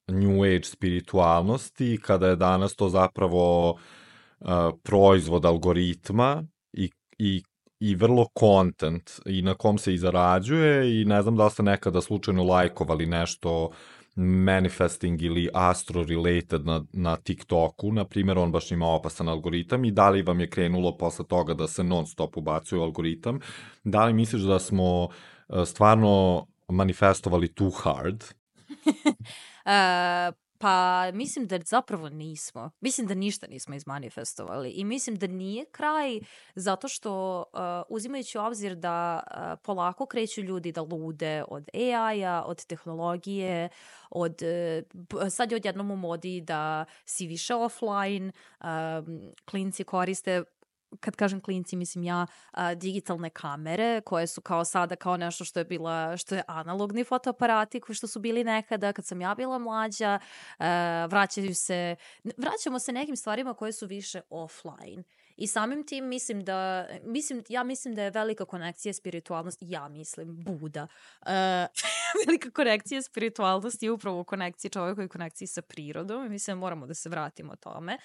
New Age spiritualnosti, kada je danas to zapravo uh, proizvod algoritma i, i, i vrlo content i na kom se i zarađuje, i ne znam da li ste nekada slučajno lajkovali nešto manifesting ili astro related na, na TikToku, na primjer, on baš ima opasan algoritam, i da li vam je krenulo posle toga da se non stop ubacuje algoritam? Da li misliš da smo uh, stvarno manifestovali too hard? uh, pa mislim da zapravo nismo. Mislim da ništa nismo izmanifestovali i mislim da nije kraj, zato što uh, uzimajući u obzir da uh, polako kreću ljudi da lude od A I-a, od tehnologije, od, uh, sad je odjednom u modi da si više offline, um, klinci koriste, kad kažem klinci, mislim ja, a, digitalne kamere koje su kao sada kao nešto što je bila, što je analogni fotoaparati koji što su bili nekada kad sam ja bila mlađa. A, vraćaju se, vraćamo se nekim stvarima koje su više offline. I samim tim mislim da, mislim, ja mislim da je velika konekcija spiritualnosti, ja mislim, Buda. Uh, velika konekcija spiritualnosti je upravo u konekciji čovjeka i konekciji sa prirodom i mislim da moramo da se vratimo tome.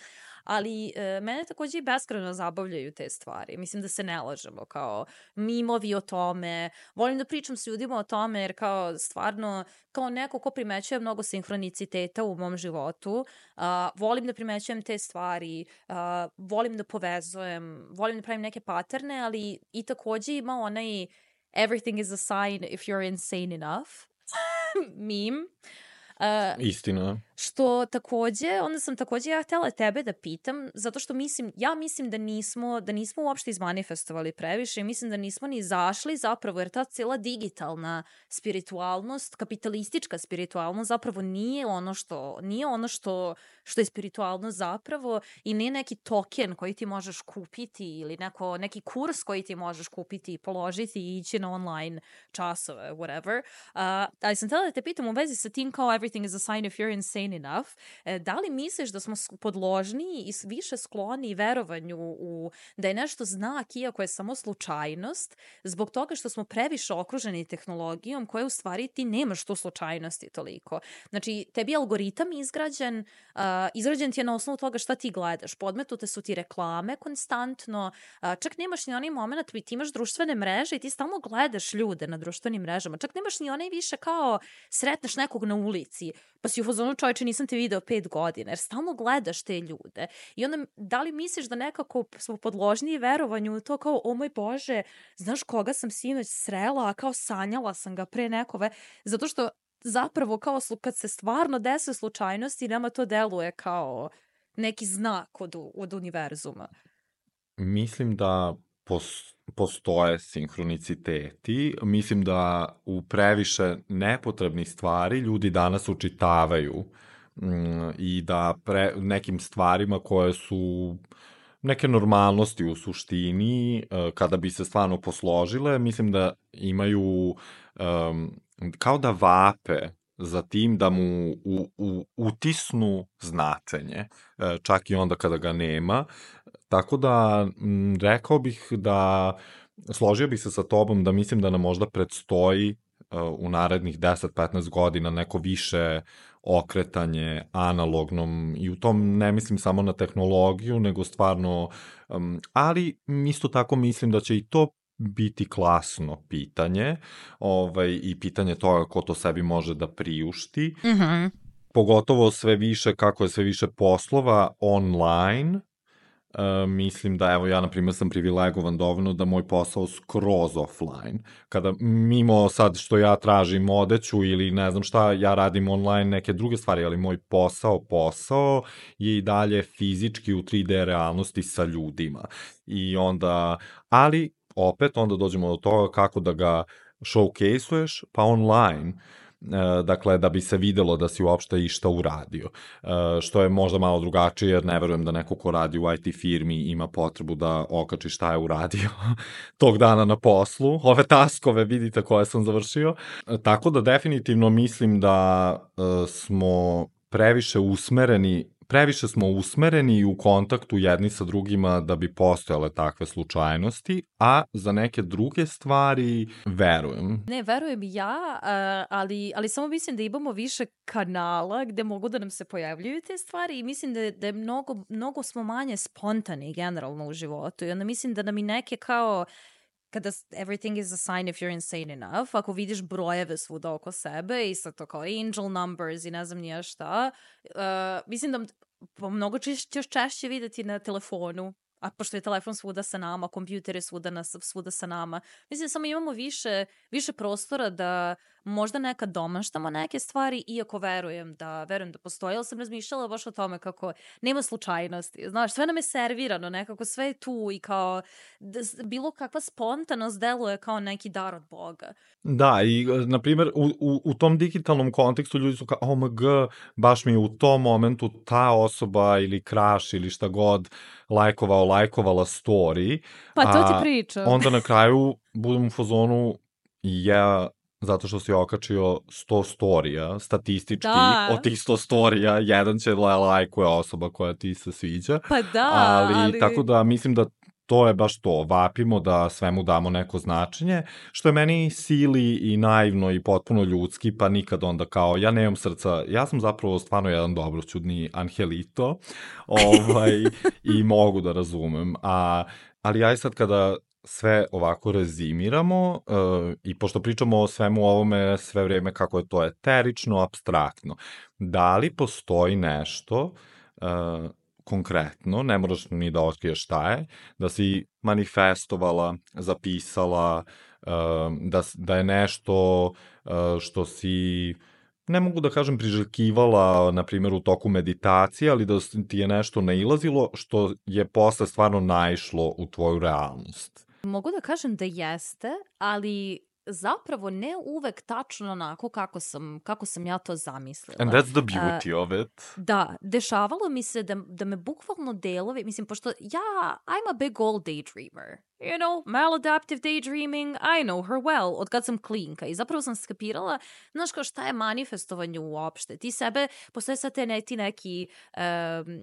Ali e, mene takođe i beskrajno zabavljaju te stvari. Mislim da se ne lažemo, kao mimovi o tome. Volim da pričam s ljudima o tome jer kao stvarno, kao neko ko primećuje mnogo sinhroniciteta u mom životu, a, volim da primećujem te stvari, a, volim da povezujem, volim da pravim neke paterne, ali i takođe ima onaj everything is a sign if you're insane enough meme. Uh, Istina. Što takođe, onda sam takođe ja htela tebe da pitam, zato što mislim, ja mislim da nismo, da nismo uopšte izmanifestovali previše i mislim da nismo ni zašli zapravo, jer ta cijela digitalna spiritualnost, kapitalistička spiritualnost zapravo nije ono što, nije ono što, što je spiritualnost zapravo i nije neki token koji ti možeš kupiti ili neko, neki kurs koji ti možeš kupiti i položiti i ići na online časove, whatever. Uh, ali sam htela da te pitam u vezi sa tim kao everything is a sign if you're insane enough. E, da li misliš da smo podložniji i više skloni verovanju u da je nešto znak iako je samo slučajnost zbog toga što smo previše okruženi tehnologijom koja u stvari ti nemaš tu slučajnosti toliko. Znači, tebi je algoritam izgrađen, uh, izgrađen ti je na osnovu toga šta ti gledaš. Podmetute su ti reklame konstantno, uh, čak nemaš ni onaj moment, ti imaš društvene mreže i ti stalno gledaš ljude na društvenim mrežama. Čak nemaš ni onaj više kao sretneš nekog na ulici, pa si u fazonu čovječe nisam te video pet godina, jer stalno gledaš te ljude. I onda, da li misliš da nekako smo podložniji verovanju u to kao, o moj Bože, znaš koga sam sinoć srela, a kao sanjala sam ga pre nekove, zato što zapravo kao kad se stvarno dese slučajnosti, nama to deluje kao neki znak od, od univerzuma. Mislim da postoje sinhroniciteti. Mislim da u previše nepotrebnih stvari ljudi danas učitavaju mm, i da pre, nekim stvarima koje su neke normalnosti u suštini, kada bi se stvarno posložile, mislim da imaju um, kao da vape za tim da mu u, u, utisnu značenje, čak i onda kada ga nema. Tako da, m, rekao bih da, složio bih se sa tobom da mislim da nam možda predstoji uh, u narednih deset do petnaest godina neko više okretanje analognom i u tom ne mislim samo na tehnologiju, nego stvarno, um, ali isto tako mislim da će i to biti klasno pitanje, ovaj, i pitanje toga ko to sebi može da priušti. Mhm. Pogotovo sve više, kako je sve više poslova online. Uh, mislim da, evo, ja, na primjer, sam privilegovan dovoljno da moj posao skroz offline. Kada, mimo sad što ja tražim odeću ili ne znam šta, ja radim online neke druge stvari, ali moj posao, posao je i dalje fizički u tri D realnosti sa ljudima. I onda, ali, opet, onda dođemo do toga kako da ga showcase-uješ, pa online. Dakle, da bi se videlo da si uopšte išta uradio. Što je možda malo drugačije, jer ne verujem da neko ko radi u I T firmi ima potrebu da okači šta je uradio tog dana na poslu. Ove taskove, vidite, koje sam završio. Tako da definitivno mislim da smo previše usmereni previše smo usmereni u kontaktu jedni sa drugima da bi postojale takve slučajnosti, a za neke druge stvari verujem. Ne, verujem ja, ali, ali samo mislim da imamo više kanala gde mogu da nam se pojavljuju te stvari i mislim da, da je mnogo, mnogo smo manje spontani generalno u životu i onda mislim da nam i neke kao kada everything is a sign if you're insane enough, ako vidiš brojeve svuda oko sebe i sad to kao angel numbers i ne znam nije šta, uh, mislim da mnogo ćeš češće videti na telefonu, a pošto je telefon svuda sa nama, kompjuter je svuda, na, svuda sa nama. Mislim, samo imamo više, više prostora da možda nekad domaštamo neke stvari, iako verujem da, verujem da postoji, ali sam razmišljala baš o tome kako nema slučajnosti. Znaš, sve nam je servirano, nekako sve je tu i kao da, bilo kakva spontanost deluje kao neki dar od Boga. Da, i na primjer u, u, u tom digitalnom kontekstu ljudi su kao, oh my god, baš mi je u tom momentu ta osoba ili crush ili šta god lajkovao, lajkovala story. Pa to ti pričam. Onda na kraju budem u fazonu, ja, zato što si okačio sto storija, statistički, da. Od tih sto storija, jedan će lajkuje osoba koja ti se sviđa. Pa da, ali... ali... Tako da mislim da to je baš to, vapimo da svemu damo neko značenje, što je meni sili i naivno i potpuno ljudski, pa nikad onda kao, ja nemam srca, ja sam zapravo stvarno jedan dobroćudni angelito, ovaj, i mogu da razumem, a, ali ja sad kada sve ovako rezimiramo uh, i pošto pričamo o svemu ovome sve vrijeme kako je to eterično, apstraktno, da li postoji nešto uh, konkretno, ne moraš ni da otkriješ šta je, da si manifestovala, zapisala, uh, da, da je nešto uh, što si ne mogu da kažem priželjkivala, na primjer, u toku meditacije, ali da ti je nešto nailazilo što je posle stvarno naišlo u tvoju realnost? Mogu da kažem da jeste, ali zapravo ne uvek tačno onako kako sam, kako sam ja to zamislila. And that's the beauty uh, of it. Da, dešavalo mi se da, da me bukvalno delovi, mislim, pošto ja, I'm a big old daydreamer. You know, maladaptive daydreaming, I know her well, od kad sam klinka. I zapravo sam skapirala, znaš kao šta je manifestovanje uopšte. Ti sebe, postoje sad te ne, ti neki um,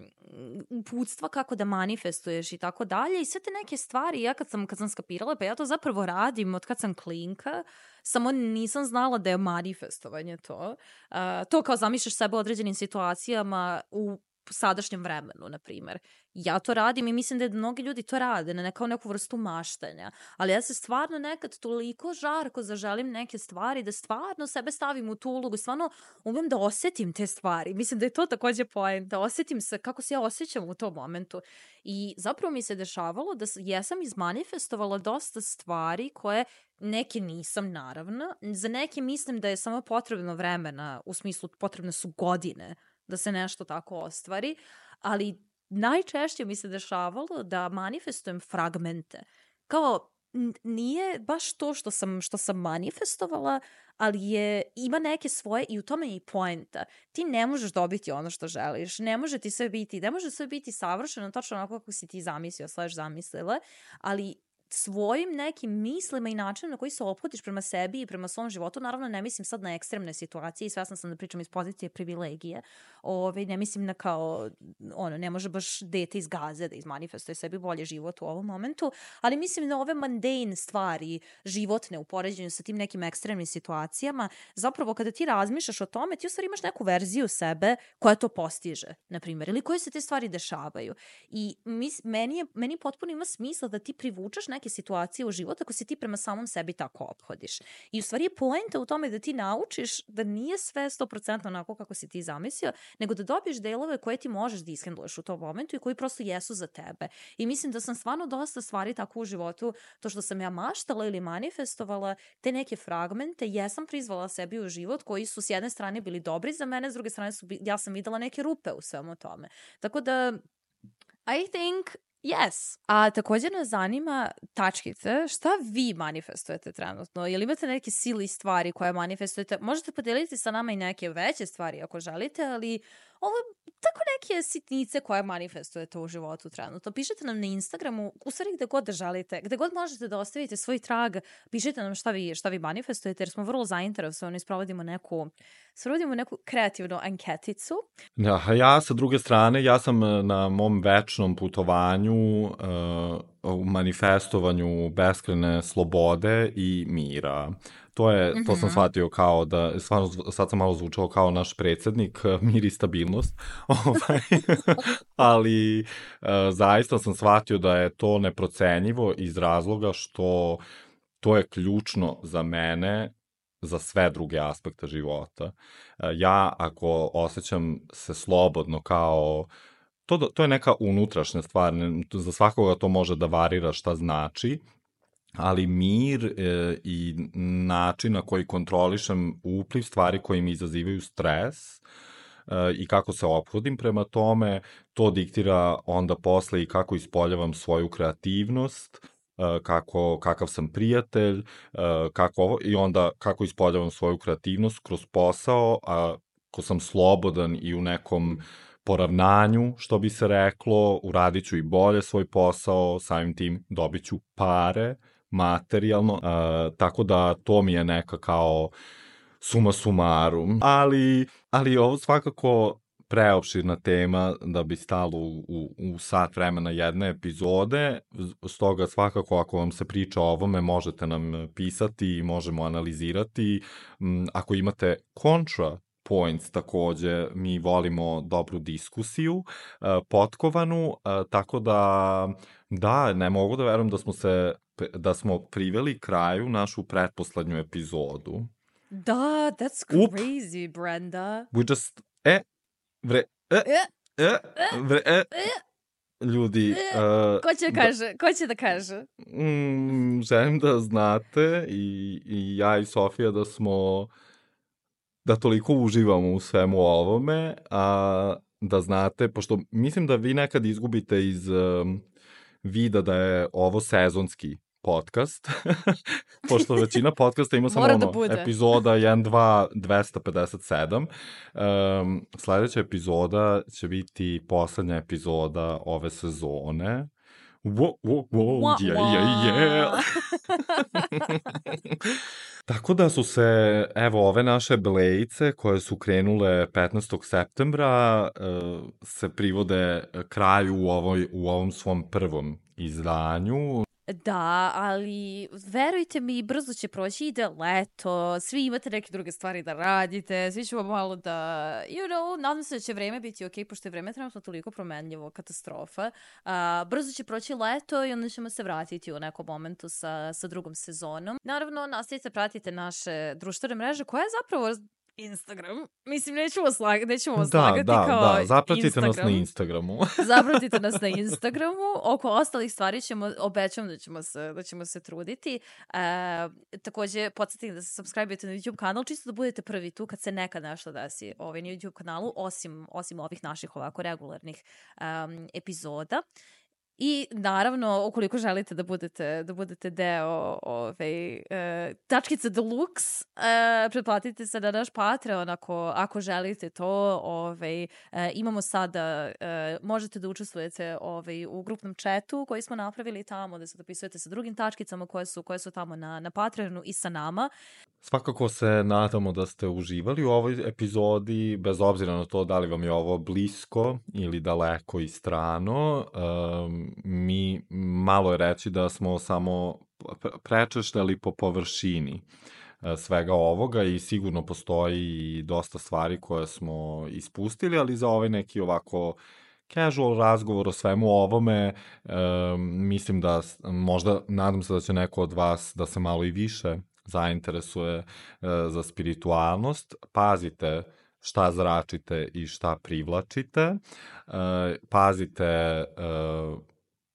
uputstva kako da manifestuješ i tako dalje. I sve te neke stvari, ja kad sam, kad sam skapirala, pa ja to zapravo radim od kad sam klinka, samo nisam znala da je manifestovanje to. Uh, to kao zamišljaš sebe u određenim situacijama u sadašnjem vremenu, na primjer. Ja to radim i mislim da mnogi ljudi to rade na kao neku vrstu maštanja, ali ja se stvarno nekad toliko žarko zaželim neke stvari da stvarno sebe stavim u tu ulogu, stvarno umem da osetim te stvari. Mislim da je to takođe point, da osetim se kako se ja osjećam u tom momentu. I zapravo mi se dešavalo da jesam izmanifestovala dosta stvari koje neke nisam, naravno. Za neke mislim da je samo potrebno vremena, u smislu potrebne su godine da se nešto tako ostvari, ali najčešće mi se dešavalo da manifestujem fragmente. Kao, nije baš to što sam, što sam manifestovala, ali je, ima neke svoje i u tome je i poenta. Ti ne možeš dobiti ono što želiš, ne može ti sve biti, ne može sve biti savršeno, tačno onako kako si ti zamislio, slash zamislila, ali svojim nekim mislima i načinom na koji se ophodiš prema sebi i prema svom životu, naravno ne mislim sad na ekstremne situacije i svesna sam da pričam iz pozicije privilegije, Ove, ne mislim na kao, ono, ne može baš dete iz Gaze da izmanifestuje sebi bolje život u ovom momentu, ali mislim na ove mundane stvari, životne u poređenju sa tim nekim ekstremnim situacijama, zapravo kada ti razmišljaš o tome, ti u stvari imaš neku verziju sebe koja to postiže, na primjer, ili koje se te stvari dešavaju. I mis, meni, je, meni potpuno ima smisla da ti privučaš neke situacije u život ako se ti prema samom sebi tako ophodiš. I u stvari je poenta u tome da ti naučiš da nije sve sto posto onako kako si ti zamislio, nego da dobiješ delove koje ti možeš da ishendluješ u tom momentu i koji prosto jesu za tebe. I mislim da sam stvarno dosta stvari tako u životu, to što sam ja maštala ili manifestovala, te neke fragmente, jesam prizvala sebi u život koji su s jedne strane bili dobri za mene, s druge strane su, ja sam videla neke rupe u svemu tome. Tako da, I think yes. A također nas zanima, tačkice, šta vi manifestujete trenutno? Jel imate neke sili stvari koje manifestujete? Možete podeliti sa nama i neke veće stvari ako želite, ali ovo tako neke sitnice koje manifestujete u životu trenutno. Pišite nam na Instagramu, u stvari gde god da želite, gde god možete da ostavite svoj trag, pišite nam šta vi, šta vi manifestujete, jer smo vrlo zainteresovani, sprovodimo neku, sprovodimo neku kreativnu anketicu. Ja, ja sa druge strane, ja sam na mom večnom putovanju uh, u manifestovanju beskrajne slobode i mira. To je, to sam shvatio kao da, stvarno sad sam malo zvučao kao naš predsjednik, mir i stabilnost, ali uh, zaista sam shvatio da je to neprocenjivo iz razloga što to je ključno za mene, za sve druge aspekte života. Uh, ja ako osjećam se slobodno kao To, to je neka unutrašnja stvar, za svakoga to može da varira šta znači, ali mir e, i način na koji kontrolišem upliv stvari koji mi izazivaju stres e, i kako se ophodim prema tome, to diktira onda posle i kako ispoljavam svoju kreativnost, e, kako, kakav sam prijatelj, e, kako ovo, i onda kako ispoljavam svoju kreativnost kroz posao, a ko sam slobodan i u nekom poravnanju, što bi se reklo, uradit ću i bolje svoj posao, samim tim dobit ću pare, materijalno, uh, tako da to mi je neka kao suma sumarum. Ali, ali ovo svakako preopširna tema da bi stalo u, u, u sat vremena jedne epizode, stoga svakako ako vam se priča o ovome možete nam pisati i možemo analizirati. Um, ako imate kontra points takođe, mi volimo dobru diskusiju, uh, potkovanu, uh, tako da, da, ne mogu da verujem da smo se, da smo priveli kraju našu pretposlednju epizodu. Da, that's crazy, Up. Brenda. We just, e, vre, e, e, e, vre, e, ljudi... Uh, ko će da kaže? Ko će da kaže? Mm, želim da znate i, i ja i Sofija da smo da toliko uživamo u svemu ovome, a da znate, pošto mislim da vi nekad izgubite iz um, vida da je ovo sezonski podcast, pošto većina podcasta ima samo Mora da ono, bude. epizoda jedan, dva, dvesta pedeset sedam. Um, sledeća epizoda će biti poslednja epizoda ove sezone. Wo, wo, wo, Wa, yeah, wa. yeah, yeah. Tako da su se, evo, ove naše blejice koje su krenule petnaestog septembra uh, se privode kraju u, ovoj, u ovom svom prvom izdanju. Da, ali verujte mi, brzo će proći, ide leto, svi imate neke druge stvari da radite, svi ćemo malo da, you know, nadam se da će vreme biti ok, pošto je vreme trenutno toliko promenljivo, katastrofa. Uh, brzo će proći leto i onda ćemo se vratiti u nekom momentu sa, sa drugom sezonom. Naravno, nastavite pratite naše društvene mreže, koja je zapravo Instagram. Mislim, nećemo, slag, nećemo Da, slagati da, kao da, zapratite Instagram. nas na Instagramu. Zapratite nas na Instagramu. Oko ostalih stvari ćemo, obećam da ćemo se, da ćemo se truditi. E, takođe, podsjetite da se subscribe-ujete na YouTube kanal, čisto da budete prvi tu kad se nekad nešto desi ovaj, na YouTube kanalu, osim, osim ovih naših ovako regularnih um, epizoda. I naravno, ukoliko želite da budete, da budete deo ove, e, tačkice Deluxe, e, pretplatite se na naš Patreon ako, ako želite to. Ove, e, imamo sada, e, možete da učestvujete ove, u grupnom chatu koji smo napravili tamo, da se dopisujete sa drugim tačkicama koje su, koje su tamo na, na Patreonu i sa nama. Svakako se nadamo da ste uživali u ovoj epizodi, bez obzira na to da li vam je ovo blisko ili daleko i strano. Um, mi malo je reći da smo samo prečešljali po površini svega ovoga i sigurno postoji i dosta stvari koje smo ispustili, ali za ovaj neki ovako casual razgovor o svemu ovome, um, mislim da možda, nadam se da će neko od vas da se malo i više zainteresuje uh, za spiritualnost. Pazite šta zračite i šta privlačite. Uh, pazite, uh,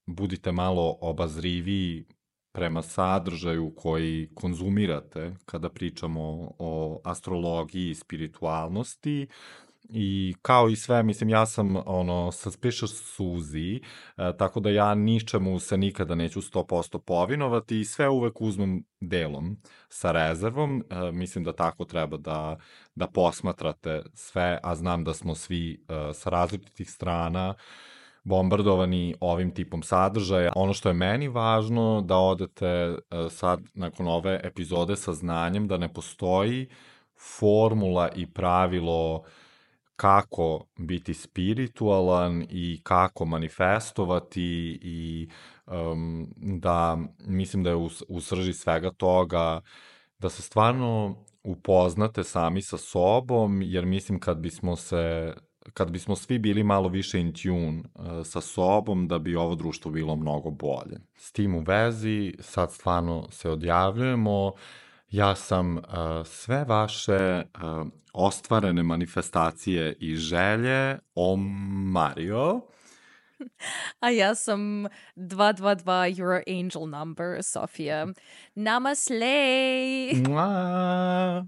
budite malo obazriviji prema sadržaju koji konzumirate kada pričamo o astrologiji i spiritualnosti. I kao i sve, mislim, ja sam ono, suspicious Suzy, e, tako da ja ničemu se nikada neću sto posto povinovati i sve uvek uzmem delom sa rezervom. E, mislim da tako treba da, da posmatrate sve, a znam da smo svi e, sa različitih strana bombardovani ovim tipom sadržaja. Ono što je meni važno da odete e, sad nakon ove epizode sa znanjem da ne postoji formula i pravilo kako biti spiritualan i kako manifestovati i um, da mislim da je u, u srži svega toga da se stvarno upoznate sami sa sobom, jer mislim kad bismo se kad bismo svi bili malo više in tune uh, sa sobom, da bi ovo društvo bilo mnogo bolje. S tim u vezi, sad stvarno se odjavljujemo. Ja sam uh, sve vaše uh, ostvarene manifestacije i želje omario. A ja sam dva dva dva your angel number, Sofia. Namaste! Mua!